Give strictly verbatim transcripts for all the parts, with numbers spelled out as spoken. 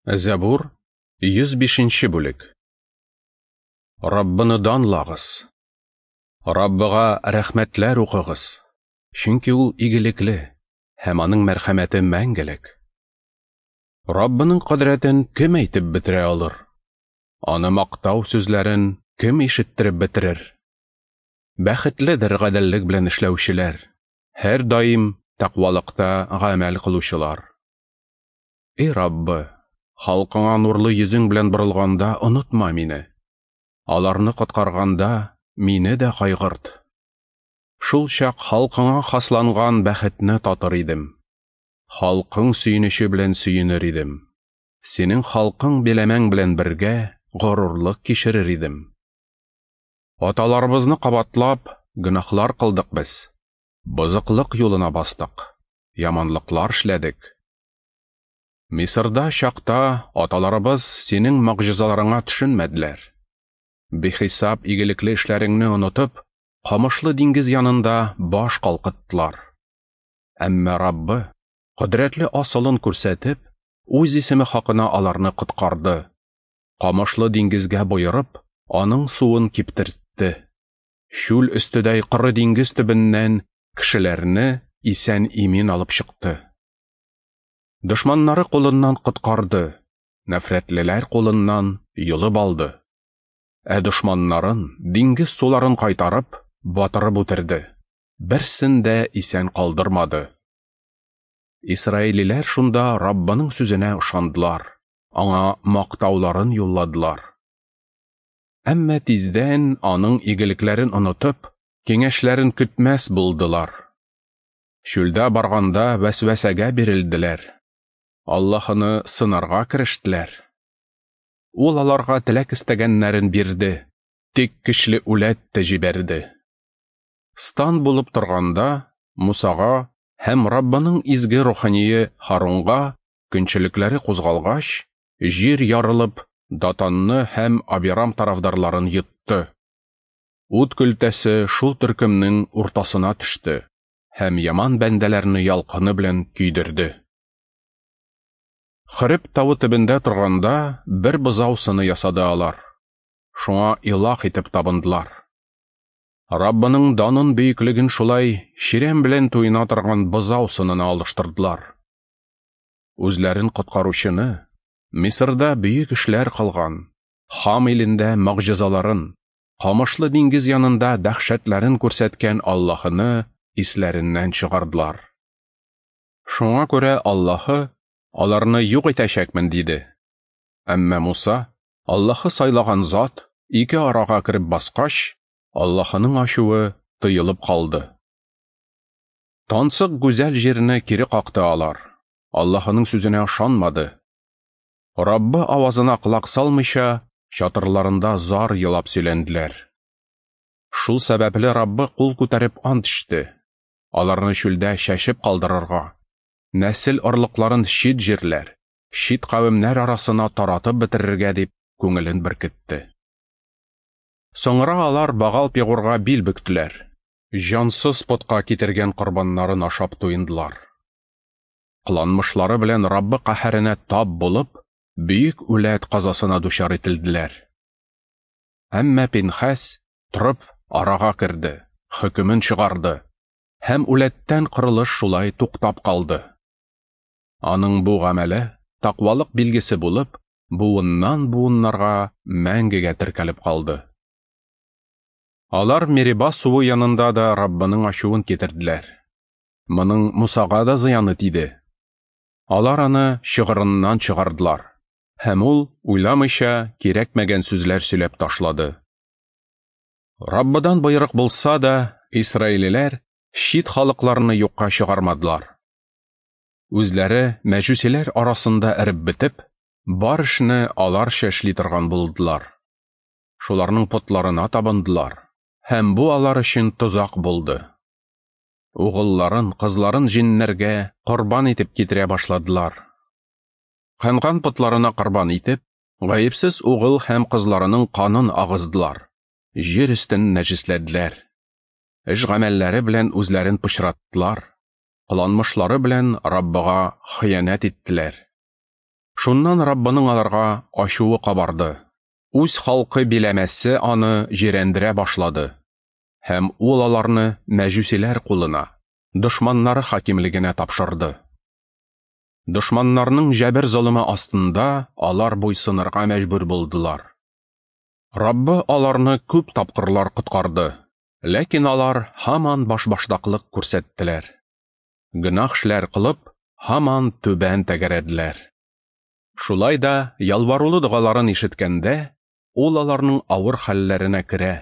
Зәбур, йөз бишенче бүлек. Раббыны данлагыз. Раббыга рәхмәтләр укыгыз, чөнки ул игелекле һәм аның мәрхәмәте мәңгелек. Раббының кодрәтен кем әйтеп бетерә алыр? Аны мактау сүзләрен кем ишеттереп бетерер? Бәхетледер гаделлек белән эшләүчеләр, һәр даим тәкъвалыкта гамәл кылучылар. Эй Раббы, халкыңа нурлы йөзең белән борылганда онытма мине. Аларны коткарганда мине дә кайгырт. Шул чак халкыңа хасланган бәхетне татыр идем. Халкың сөенече белән сөенер идем. Синең халкың биләмәң белән бергә горурлык кичерер идем. Аталарыбызны кабатлап, гөнаһлар кылдык без. Бозыклык юлына бастык, яманлыклар эшләдек. Мисырда чакта аталарыбыз синең могҗизаларыңа төшенмәделәр. Бихисап игелекле эшләреңне онытып, камышлы диңгез янында баш калкыттылар. Әмма Раббы, кодрәтле асылын күрсәтеп, үз исеме хакына аларны коткарды. Камышлы диңгезгә боерып, аның суын киптертте. Шүл өстедәй коры диңгез төбеннән кешеләрне исән-имин алып чыкты. Дошманнары кулыннан коткарды, нәфрәтлеләр кулыннан йолып алды. Ә дошманнарын диңгез суларын кайтарып, батырып үтерде. Берсен дә исән калдырмады. Исраилиләр шунда Раббының сүзенә ышандылар, аңа мактауларын юлладылар. Әмма тиздән аның игелекләрен онытып, киңәшләрен көтмәс булдылар. Чүлдә барганда вәсвәсәгә бирелделәр. Аллаһыны сынарга керештеләр. Ул аларга теләк истәгәннәрен бирде, тик көчле үләт тә җибәрде. Стан булып торганда Мусага һәм Раббының изге рухание Харунга көнчелекләре кузгалгач, җир ярылып, Датанны һәм Абирам тарафдарларын йотты. Ут көлтәсе шул төркемнең уртасына төште һәм яман бәндәләрне ялкыны белән көйдерде. Хөреб тавы төбендә торганда бер бозау сыны ясады алар. Шуңа илаһ итеп табындылар. Раббының данын бөеклеген шулай чирәм белән туена торган бозау сынына алыштырдылар. Үзләрен коткаручыны, Мисырда бөек эшләр кылган, Хам илендә могҗизаларын, камышлы диңгез янында дәһшәтләрен күрсәткән Аллаһыны исләреннән чыгардылар. Шуңа күрә Аллаһы аларны юк итәчәкмен диде. Әмма Муса, Аллаһы сайлаган зат, ике арага кереп баскач, Аллаһының ачуы тыелып калды. Тансык гүзәл җирне кире какты алар. Аллаһының сүзенә ышанмады. Раббы авазына колак салмыйча, чатырларында зар елап сөйләнделәр. Шул сәбәпле Раббы кул күтәреп ант ичте. Аларны чүлдә чәчеп калдырырга, нәсел орлыкларын чит җирләр, чит кавемнәр арасына таратып бетерергә дип күңелен беркетте. Соңра алар Багал Пегурга бил бөктеләр. Җансыз потка китергән корбаннарын ашап туендылар. Кыланмышлары белән Раббы каһәренә тап булып, бөек үләт казасына дучар ителделәр. Әмма Пинхәс торып арага керде, хөкемен чыгарды һәм үләттән кырылыш шулай туктап калды. Аның бу гамәле тәкъвалык билгесе булып, буыннан буыннарга мәңгегә теркәлеп калды. Алар Мериба суы янында да Раббының ачуын китерделәр. Моның Мусага да зыяны тиде. Алар аны чыгырыннан чыгардылар, һәм ул уйламыйча кирәкмәгән сүзләр сөйләп ташлады. Раббыдан боерык булса да, исраилиләр чит халыкларны юкка чыгармадылар. Үзләре мәҗүсиләр арасында эреп бетеп, бар эшне аларча эшли торган булдылар. Шуларның потларына табындылар, һәм бу алар өчен тозак булды. Угылларын, кызларын җиннәргә корбан итеп китерә башладылар. Канган потларына корбан итеп, гаепсез угыл һәм кызларының канын агыздылар, җир өстен нәҗесләделәр. Эш гамәлләре белән үзләрен пычраттылар, кыланмышлары белән Раббыга хыянәт иттеләр. Шуннан Раббының аларга ачуы кабарды. Үз халкы биләмәсе аны җирәндерә башлады. Һәм ул аларны мәҗүсиләр кулына, дошманнары хакимлегенә тапшырды. Дошманнарның җәбер-золымы астында алар буйсынырга мәҗбүр булдылар. Раббы аларны күп тапкырлар коткарды, ләкин алар һаман башбаштаклык күрсәттеләр. Гөнаһ эшләр кылып, һаман түбән тәгәрәделәр. Шулай да ялварулы догаларын ишеткәндә, ул аларның авыр хәлләренә керә.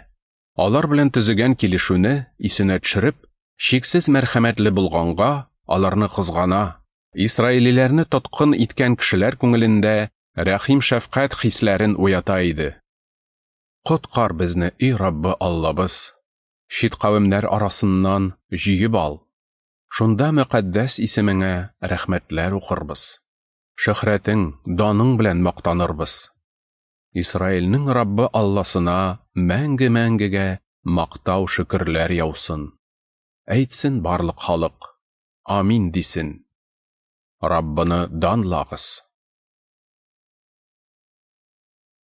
Алар белән төзегән килешүне исенә төшереп, чиксез мәрхәмәтле булганга, аларны кызгана. Исраилиләрне тоткын иткән кешеләр күңелендә рәхим-шәфкать хисләрен уята иде. Коткар безне, эй Раббы Аллабыз, чит кавемнәр арасыннан җыеп ал. Шунда мөкаддәс исемеңә рәхмәтләр укырбыз. Шөһрәтең, даның белән мактанырбыз. Исраилнең Раббы Алласына мәңге-мәңгегә мактау шөкерләр яусын. Әйтсен барлык халык, амин дисен. Раббыны данлагыз.